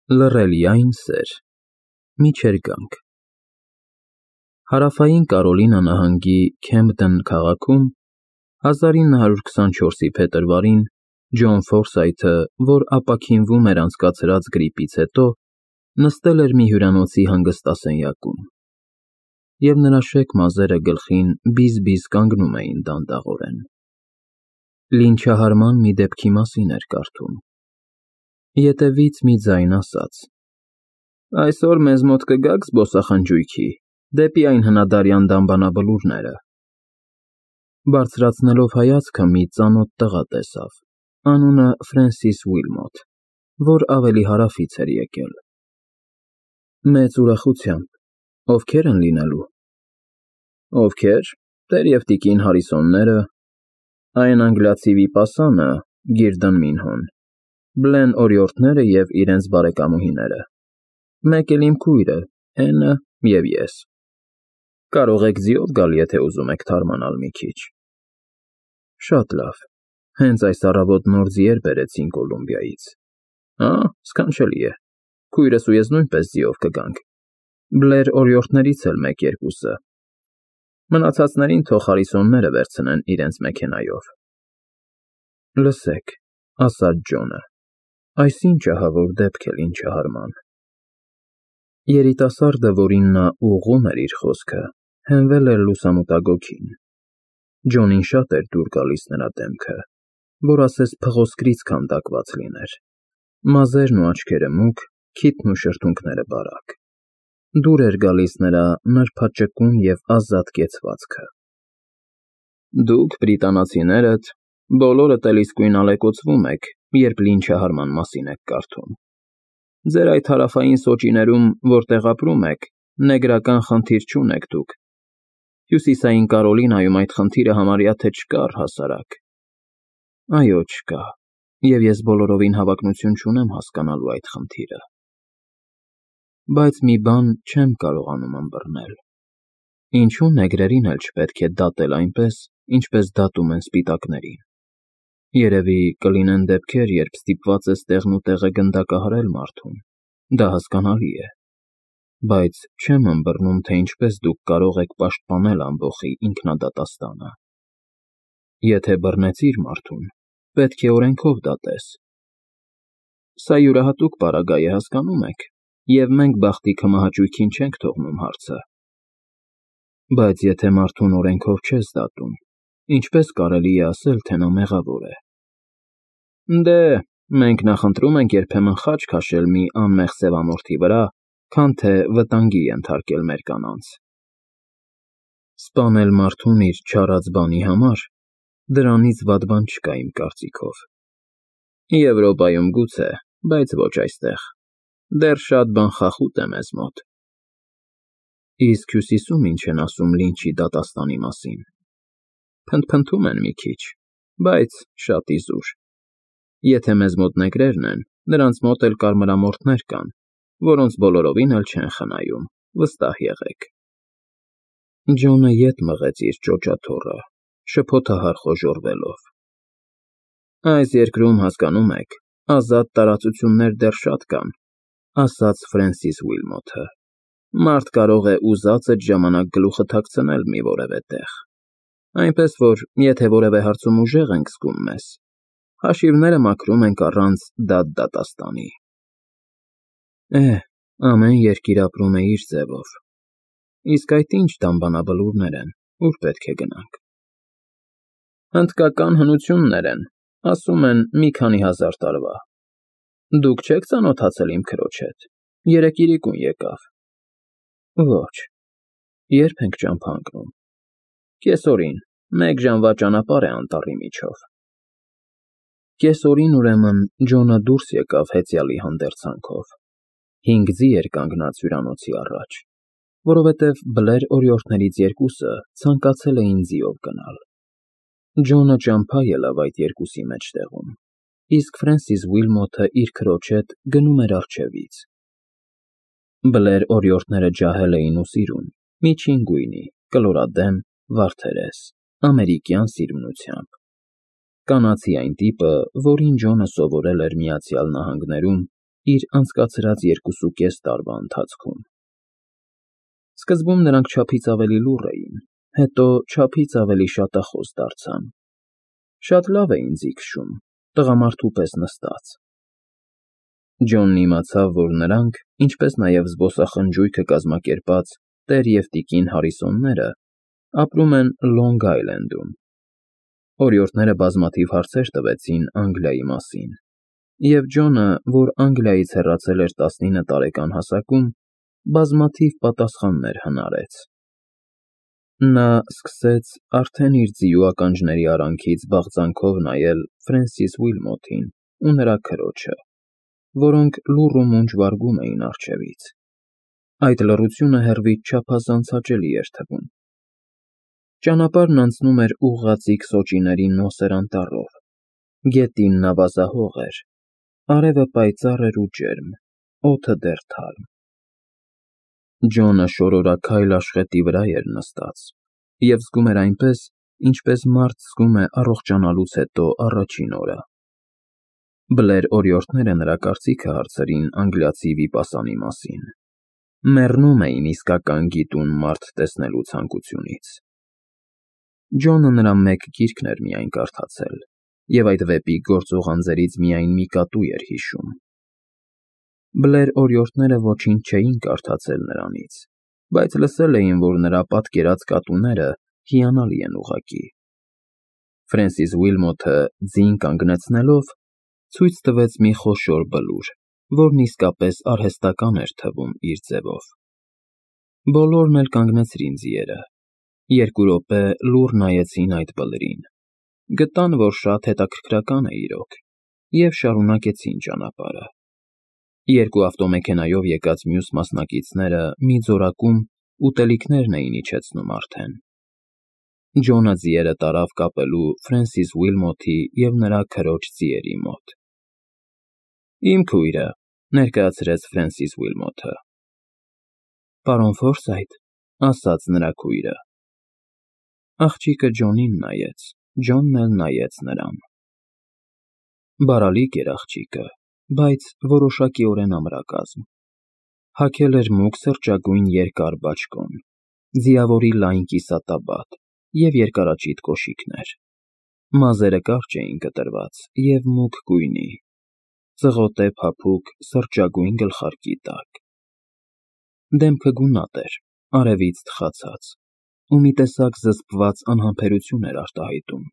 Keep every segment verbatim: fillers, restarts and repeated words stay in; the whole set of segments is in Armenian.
Լռելիայն սեր, միջերգանք Հարավային Կարոլինա նահանգի Քեմփտոն քաղաքում հազար ինը հարյուր քսանչորսի փետրվարին Ջոն Ֆորսայթը, որ ապաքինվում էր անցկացրած գրիպից հետո, նստել էր մի հյուրանոցի հանգստասենյակում, և նրա շեք մազերը գլխին բիզ֊բիզ կանգնում էին դանդաղորեն։ Լինչահարման մի դեպքի մասին էր կարդում։ Ետևից մի ձայն ասաց. «Այսօր մեզ մոտ կգաք զբոսախնջույքի, դեպի այն հնադարյան դամբանաբլուրները»։ Բարձրացնելով հայացքը մի ծանոթ տղա տեսավ, անունը Ֆրենսիս Ուիլմոթ, որ ավելի հարավից էր եկել։ Մեծ ուրախությամբ, ովքե՞ր են լինելու։ Ովքե՞ր, տեր և տիկին Հարիսոնները, այն անգլիացի վիպասանը Գիրդն Մինհոն, Բլեն օրիորդները և իրենց բարեկամուհիները, մեկ էլ իմ քույրը Էնը և ես։ Կարող եք ձիով գալ, եթե ուզում եք թարմանալ մի քիչ։ Շատ լավ, հենց այս առավոտ նոր ձիեր բերեցին Կոլումբիայից։ Հա, սքանչելի է, քույրս ու ես նույնպես ձիով կգանք, Բլեր օրիորդներից էլ մեկ֊երկուսը, մնացածներին թող Հարիսոնները վերցնեն իրենց մեքենայով։ Լսեք, ասաց Ջոնը, այս ի՞նչ ահավոր դեպք է լինչահարման։ Երիտասարդը, որին նա ուղղում էր իր խոսքը, հենվել էր լուսամուտագոգին։ Ջոնին շատ էր դուր գալիս նրա դեմքը, որ ասես փղոսկրից քանդակված լիներ, մազերն ու աչքերը մուգ, քիթն ու շրթունքները բարակ։ Դուր էր գալիս նրա նրբաճկուն և ազատ կեցվածքը։ Դուք, բրիտանացիներդ, բոլորդ էլ իսկույն ալեկոծվում եք, երբ լինչահարման մասին եք կարդում։ Ձեր այդ հարավային սոճիներում, որտեղ ապրում եք, նեգրական խնդիր չունեք դուք։ Հյուսիսային Կարոլինայում այդ խնդիրը համարյա թե չկա առհասարակ։ Այո, չկա, և ես բոլորովին հավակնություն չունեմ հասկանալու այդ խնդիրը։ Բայց մի բան չեմ կարողանում ըմբռնել. ինչու նեգրերին էլ չպետք է դատել այնպես, ինչպես դատում են սպիտակներին։ Երևի կլինեն դեպքեր, երբ ստիպված ես տեղն ու տեղը գնդակահարել մարդուն, դա հասկանալի է, բայց չեմ ըմբռնում, թե ինչպես դուք կարող եք պաշտպանել ամբոխի ինքնադատաստանը։ Եթե բռնեցիր մարդուն, պետք է օրենքով դատես։ Սա յուրահատուկ պարագա է, հասկանում եք, և մենք բախտի քմահաճույքին չենք թողնում հարցը։ Բայց եթե մարդուն օրենքով չես դատում, ինչպես կարելի է ասել, թե նա մեղավոր է։ Դե, մենք նախընտրում ենք երբեմն խաչ քաշել մի անմեղ սևամորթի վրա, քան թե վտանգի ենթարկել մեր կանանց։ Սպանել մարդուն իր չարած բանի համար, դրանից վատ բան չկա իմ կարծիքով։ Եվրոպայում գուցե, բայց ոչ այստեղ, դեռ շատ բան խախուտ է մեզ մոտ։ Իսկ Հյուսիսում ինչ են ասում լինչի դատաստանի մասին։ Փնթփնթում են մի քիչ, բայց շատ իզուր։ Եթե մեզ մոտ նեգրերն են, նրանց մոտ էլ կարմրամորթներ կան, որոնց բոլորովին էլ չեն խնայում, վստահ եղեք։ Ջոնը ետ մղեց իր ճոճաթոռը, շփոթահար խոժոռվելով։ Այս երկրում, հասկանում եք, ազատ տարածություններ դեռ շատ կան, ասաց Ֆրենսիս Ուիլմոթը։ Մարդ կարող է ուզածդ ժամանակ գլուխը թաքցնել մի որևէ տեղ, այնպես որ, եթե որևէ հարցում ուժեղ ենք զգում մեզ, հաշիվները մաքրում ենք առանց դատ֊դատաստանի։ Է, ամեն երկիր ապրում է իր ձևով։ Իսկ այդ ինչ դամբանաբլուրներ են, ուր պետք է գնանք։ Հնդկական հնություններ են, ասում են մի քանի հազար տարվա։ Դուք չե՞ք ծանոթացել իմ քրոջ հետ, երեկ իրիկուն եկավ։ Ոչ, երբ ենք ճամփա ընկնում։ Կեսօրին, մեկ ժամվա ճանապարհ է անտառի միջով։ Կեսօրին, ուրեմն, Ջոնը դուրս եկավ հեծյալի հանդերձանքով։ Հինգ ձի էր կանգնած հյուրանոցի առաջ, որովհետև Բլեր օրիորդներից երկուսը ցանկացել էին ձիով գնալ։ Ջոնը ճամփա ելավ այդ երկուսի մեջտեղում, իսկ Ֆրենսիս Ուիլմոթը իր քրոջ հետ գնում էր առջևից։ Բլեր օրիորդները ջահել էին ու սիրուն, միջին գույնի, կլորադեմ, վարդերես, ամերիկյան սիրունությամբ։ Կանացի այն տիպը, որին Ջոնը սովորել էր Միացյալ Նահանգներում իր անցկացրած երկուսուկես տարվա ընթացքում։ Սկզբում նրանք չափից ավելի լուռ էին, հետո չափից ավելի շատախոս դարձան։ Շատ լավ էին ձիգշում, տղամարդու պես նստած։ Ջոնն իմացավ, որ նրանք, ինչպես նաև զբոսախնջույքը կազմակերպած տեր և տիկին Հարիսոնները, ապրում են Լոնգ Այլենդում։ Օրիորդները բազմաթիվ հարցեր տվեցին Անգլիայի մասին, և Ջոնը, որ Անգլիայից հեռացել էր տասնինը տարեկան հասակում, բազմաթիվ պատասխաններ հնարեց։ Նա սկսեց արդեն իր ձիու ականջների արանքից բաղձանքով նայել Ֆրենսիս Ուիլմոթին ու նրա քրոջը, որոնք լուռ ու մունջ վարգում էին առջևից։ Այդ լռությունը հեռվից չափազանց հաճելի էր թվում։ Ճանապարհն անցնում էր ուղղաձիգ սոճիների նոսր անտառով, գետինն ավազահող էր, արևը պայծառ էր ու ջերմ, օդը դեռ թարմ։ Ջոնը շորորաքայլ աշխետի վրա էր նստած և զգում էր այնպես, ինչպես մարդ զգում է առողջանալուց հետո առաջին օրը։ Բլեր օրիորդները նրա կարծիքը հարցրին անգլիացի վիպասանի մասին, մեռնում էին իսկական գիտուն մարդ տեսնելու ցանկությունից։ Ջոնը նրա մեկ գիրքն էր միայն կարդացել, և այդ վեպի գործող անձերից միայն մի կատու էր հիշում։ Բլեր օրիորդները ոչինչ չէին կարդացել նրանից, բայց լսել էին, որ նրա պատկերած կատուները հիանալի են ուղղակի։ Ֆրենսիս Ուիլմոթը ձին կանգնեցնելով, ցույց տվեց մի խոշոր բլուր, որն իսկապես արհեստական էր թվում իր ձևով։ Բոլորն էլ կանգնեցրին ձիերը։ Երկու րոպե լուռ նայեցին այդ բլրին, գտան, որ շատ հետաքրքրական է իրոք, և շարունակեցին ճանապարհը։ Երկու ավտոմեքենայով եկած մյուս մասնակիցները մի ձորակում ուտելիքներն էին իջեցնում արդեն։ Ջոնը ձիերը տարավ կապելու Ֆրենսիս Ուիլմոթի և նրա քրոջ ձիերի մոտ։ Իմ քույրը, ներկայացրեց Ֆրենսիս Ուիլմոթը։ Պարոն Ֆորսայթ, ասաց նրա քույրը։ Աղջիկը Ջոնին նայեց, Ջոնն էլ նայեց նրան։ Բարալիկ էր աղջիկը, բայց որոշակիորեն ամրակազմ։ Հագել էր մուգ սրճագույն երկար բաճկոն, ձիավորի լայն կիսատաբատ և երկարաճիտ կոշիկներ։ Մազերը կարճ էին կտրված և մուգ գույնի, ծղոտե փափուկ սրճագույն գլխարկի տակ։ Դեմքը գունատ էր, արևից թխացած, ու մի տեսակ զսպված անհամբերություն էր արտահայտում։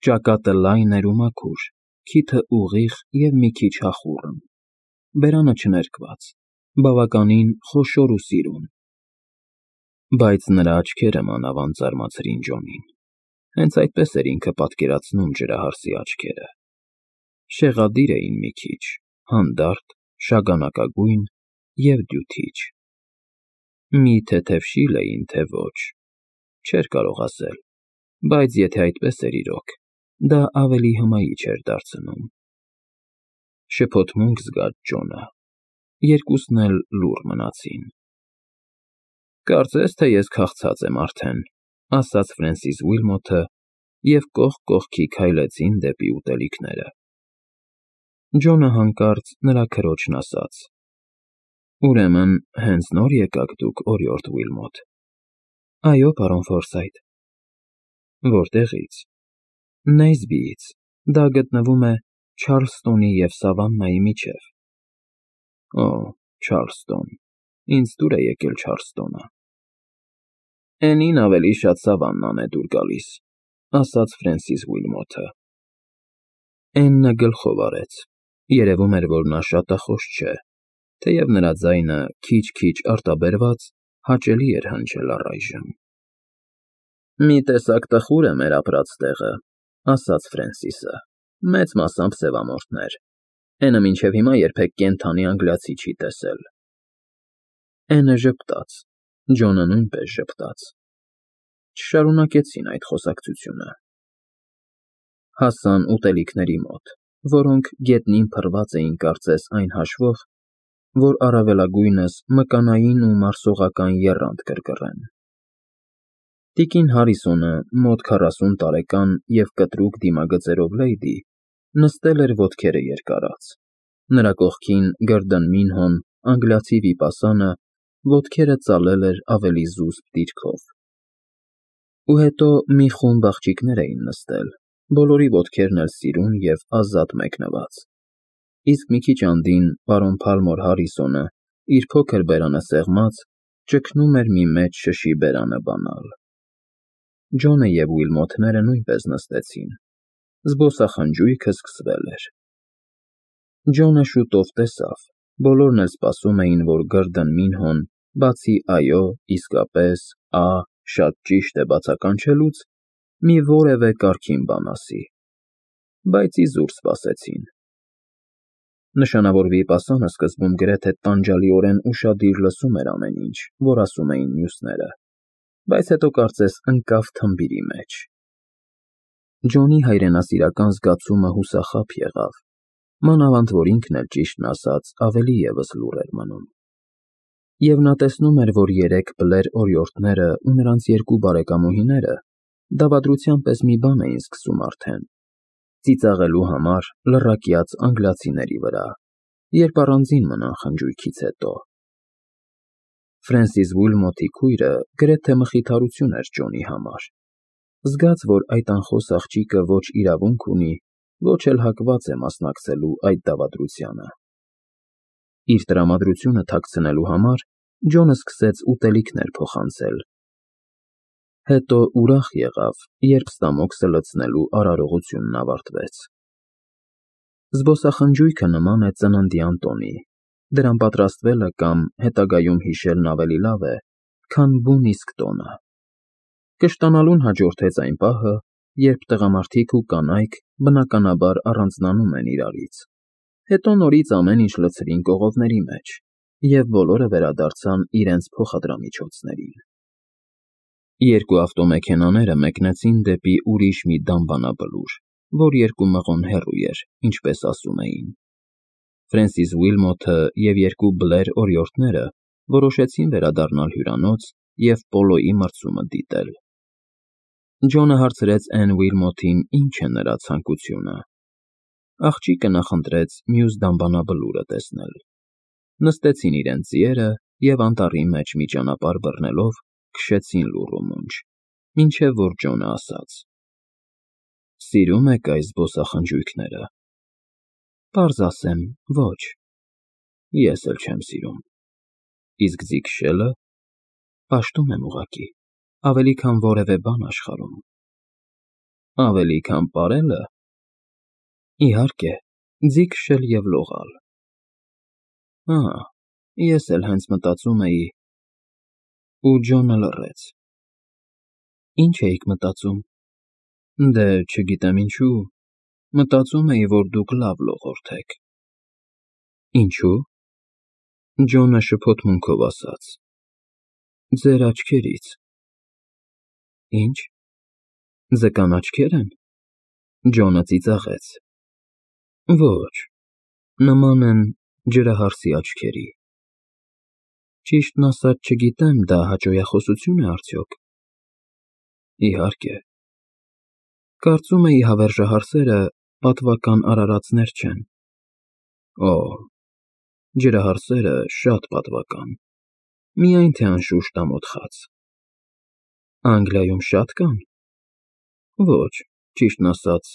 Ճակատը լայն էր ու մաքուր, քիթը ուղիղ և մի քիչ հախուռն, բերանը չներկված, բավականին խոշոր ու սիրուն։ Բայց նրա աչքերը մանավանդ զարմացրին Ջոնին։ Հենց այդպես էր ինքը պատկերացնում ջրահարսի աչքերը։ Շեղադիր էին մի քիչ, հանդարտ, շագանակագույն և դյութիչ։ Մի թեթև շիլ էին, թե ոչ, չէր կարող ասել, բայց եթե այդպես էր իրոք, դա ավելի հմայիչ էր դարձնում։ Շփոթմունք զգաց Ջոնը։ Երկուսն էլ լուռ մնացին։ Կարծես թե ես քաղցած եմ արդեն, ասաց Ֆրենսիս Ուիլմոթը, և կողք կողքի քայլեցին դեպի ուտելիքները։ Ջոնը հանկարծ նրա քրոջն ասաց. Ուրեմն հենց նոր եկաք դուք, օրիորդ Ուիլմոթ։ Այո, պարոն Ֆորսայթ։ Որտեղի՞ց։ Նեյսբիից, դա գտնվում է Չարլստոնի և Սավաննայի միջև։ Օ, Չարլստոն, ինձ դուր է եկել Չարլստոնը։ Էնին ավելի շատ Սավաննան է դուր գալիս, ասաց Ֆրենսիս Ուիլմոթը։ Էննը գլխով արեց, երևում էր, որ նա շատախոս չէ, թեև նրա ձայնը քիչ֊քիչ արտաբերված հաճելի էր հնչել առայժմ։ Մի տեսակ տխուր է մեր ապրած տեղը, ասաց Ֆրենսիսը, մեծ մասամբ սևամորթներ, էնը մինչև հիմա երբեք կենդանի անգլիացի չի տեսել։ Էնը ժպտաց, Ջոնը նույնպես ժպտաց։ Չշարունակեցին այդ խոսակցությունը։ Հասան ուտելիքների մոտ, որոնք գետնին փռված էին կարծես այն հաշվով, որ առավելագույնս մկանային ու մարսողական եռանդ կրկռեն։ Տիկին Հարիսոնը, մոտ քառասուն տարեկան և կտրուկ դիմագծերով լեյդի, նստել էր ոտքերը երկարած, Նրա կողքին Գըրդն Մինհոն, անգլիացի վիպասանը, ոտքերը ծալել էր ավելի զուսպ դիրքով։ Ու հետո մի խումբ աղջիկներ էին նստել, բոլորի ոտքերն էլ սիրուն և ազատ մեկնված, իսկ մի քիչ andին պարոն Փալմոր Հարրիսոնը, իր փոքր բերանը սեղմած, ճգնում էր մի մեծ շշի բերանը բանալ։ Ջոնը և Ուիլմոթները նույնպես նստեցին, զբոսախնջույքը սկսվել էր։ Ջոնը շուտով տեսավ, բոլորն էլ սպասում էին, որ Գըրդն Մինհոն, բացի այո, իսկապես, ա, շատ ճիշտ է բացականչելուց, մի որևէ կարգին բան ասի, բայց իզուր սպասեցին։ Նշանավոր վիպասանը սկզբում գրեթե տանջալիորեն ուշադիր լսում էր ամեն ինչ, որ ասում էին մյուսները, բայց հետո կարծես ընկավ թմբիրի մեջ։ Ջոնի հայրենասիրական զգացումը հուսախաբ եղավ, մանավանդ որ ինքն էլ, ճիշտն ասած, ավելի ևս լուռ էր մնում։ Եվ նա տեսնում էր, որ երեք բլեր օրիորդները ու նրանց երկու բարեկամուհիները դավադրության պես մի բան էին սկսում արդեն, ծիծաղելու համար լռակյաց անգլիացիների վրա, երբ առանձին մնան խնջույքից հետո։ Ֆրենսիս Ուիլմոթի քույրը գրեթե մխիթարություն էր Ջոնի համար, զգաց, որ այդ անխոս աղջիկը ոչ իրավունք ունի, ոչ էլ հակված է մասնակցելու այդ դավադրությանը։ Իր տրամադրությունը թաքցնելու համար Ջոնը սկսեց ուտելիքներ փոխանցել, հետո ուրախ եղավ, երբ ստամոքսը լցնելու արարողությունն ավարտվեց։ Զբոսախնջույքը նման է ծննդյան տոնի, դրան պատրաստվելը կամ հետագայում հիշելն ավելի լավ է, քան բուն իսկ տոնը։ Կշտանալուն հաջորդեց այն պահը, երբ տղամարդիկ ու կանայք բնականաբար առանձնանում են իրարից, հետո նորից ամեն ինչ լցրին կողովների մեջ, և բոլորը վերադարձան իրենց փոխադրամիջոցներին։ Երկու ավտոմեքենաները մեկնեցին դեպի ուրիշ մի դամբանաբլուր, որ երկու մղոն հեռու էր, ինչպես ասում էին։ Ֆրենսիս Ուիլմոթը և երկու բլեր օրիորդները որոշեցին վերադառնալ հյուրանոց և Պոլոյի մրցումը դիտել։ Ջոնը հարցրեց Էն Ուիլմոթին, ինչ է նրա ցանկությունը։ Աղջիկը նախընտրեց մյուս դամբանաբլուրը տեսնել։ Նստեցին իրենց ձիերը և անտառի մեջ մի ճանապարհ բռնելով քշեցին լուռ ու մունջ, մինչև որ Ջոնը ասաց. Սիրո՞ւմ եք այս զբոսախնջույքները։ Պարզ ասեմ, ոչ։ Ես էլ չեմ սիրում։ Իսկ ձիգ շելը։ Պաշտում եմ ուղղակի, ավելի քան որևէ բան աշխարհում։ Ավելի քան պարե՞լը։ Իհարկե, ձիգ շել և լողալ։ Ահա, ես էլ հենց մտածում էի… Ու Ջոնը լռեց։ Ինչ էիք մտածում։ Դե, չգիտեմ ինչու, մտածում էի, որ դուք լավ լողորդ եք։ Ինչու։ Ջոնը շփոթմունքով ասաց. Ձեր աչքերից։ Ինչ։ Ձկան աչքե՞ր են։ Ջոնը ծիծաղեց։ Ոչ, նման են ջրահարսի աչքերի։ Ճիշտն ասած, չգիտեմ, դա հաճոյախոսությո՞ւն է արդյոք։ Իհարկե։ Կարծում էի հավերժահարսերը պատվական արարածներ չեն։ Օ, ջրահարսերը շատ պատվական, միայն թե անշուշտ ամոթխած։ Անգլիայում շա՞տ կան։ Ոչ, ճիշտն ասած,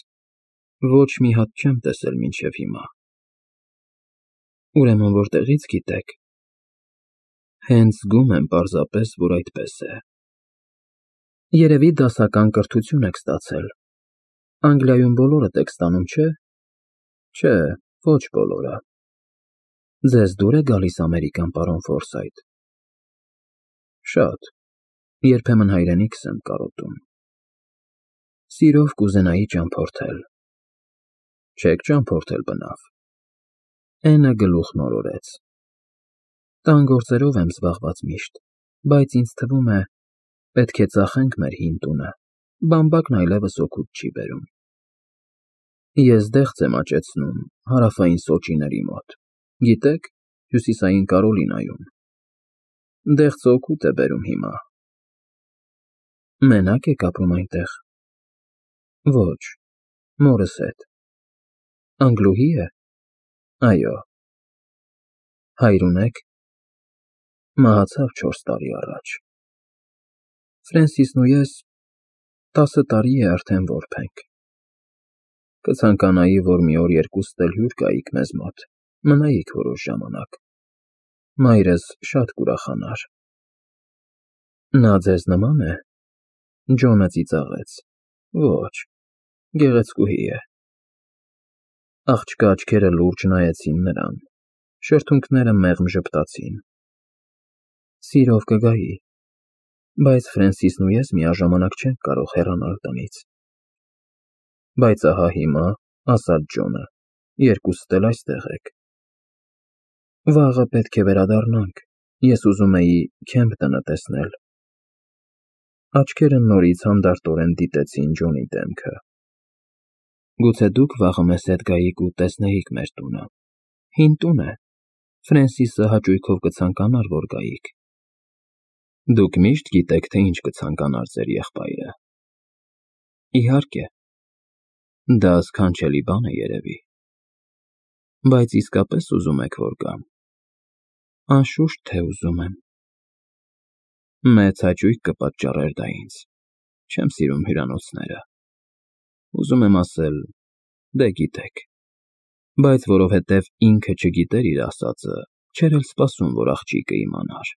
ոչ մի հատ չեմ տեսել մինչև հիմա։ Ուրեմն որտեղի՞ց գիտեք։ Հենց զգում եմ պարզապես, որ այդպես է։ Երևի դասական կրթություն եք ստացել։ Անգլիայում բոլորդ եք ստանում, չէ։ Չէ, ոչ բոլորը։ Ձեզ դուր է գալիս ամերիկան, պարոն Ֆորսայթ։ Շատ, երբեմն հայրենիքս եմ կարոտում։ Սիրով կուզենայի ճամփորդել։ Չեք ճամփորդել, բնավ։ Էնը գլուխն օրորեց։ Տան գործերով եմ զբաղված միշտ, բայց ինձ թվում է, պետք է ծախենք մեր հին տունը, բամբակն այլևս օգուտ չի բերում։ Ես դեղց եմ աճեցնում Հարավային Սոճիների մոտ, գիտեք, Հյուսիսային Կարոլինայում։ Դեղցը օգուտ է բերում հիմա։ Մենա՞կ եք ապրում այնտեղ։ Ոչ, մորս հետ։ Անգլուհի՞ է։ Այո։ Հայր ունեք։ Մահացավ չորս տարի առաջ։ Ֆրենսիսն ու ես տասը տարի է արդեն որբ ենք։ Կցանկանայի, որ մի օր երկուստ էլ հյուր գայիք մեզ մոտ, մնայիք որոշ ժամանակ։ Մայրս շատ կուրախանար։ Նա ձեզ նման է։ Ջոնը ծիծաղեց։ Ոչ, գեղեցկուհի է։ Աղջկա աչքերը լուրջ նայեցին նրան, շրթունքները մեղմ ժպտացին։ Սիրով կգայի, բայց Ֆրենսիսն ու ես միաժամանակ չենք կարող հեռանալ տնից։ Բայց ահա հիմա, ասաց Ջոնը, երկուստ էլ այստեղ եք։ Վաղը պետք է վերադառնանք, ես ուզում էի Քեմփտոնը տեսնել։ Աչքերը նորից հանդարտորեն դիտեցին Ջոնի դեմքը։ Գուցե դուք վաղը մեզ հետ գայիք ու տեսնեիք մեր տունը։ Հին տուն է։ Ֆրենսիսը հաճույքով կցանկանար, որ գայիք։ Դուք միշտ գիտեք, թե ինչ կցանկանար ձեր եղբայրը։ Իհարկե։ Դա սքանչելի բան է երևի։ Բայց իսկապես ուզում եք, որ գամ։ Անշուշտ, թե ուզում եմ։ Մեծ հաճույք կպատճառեր դա ինձ։ Չեմ սիրում հյուրանոցները։ Ուզում եմ ասել, դե գիտեք։ Բայց որովհետև ինքը չգիտեր իր ասածը, չէր էլ սպասում, որ աղջիկը իմանար։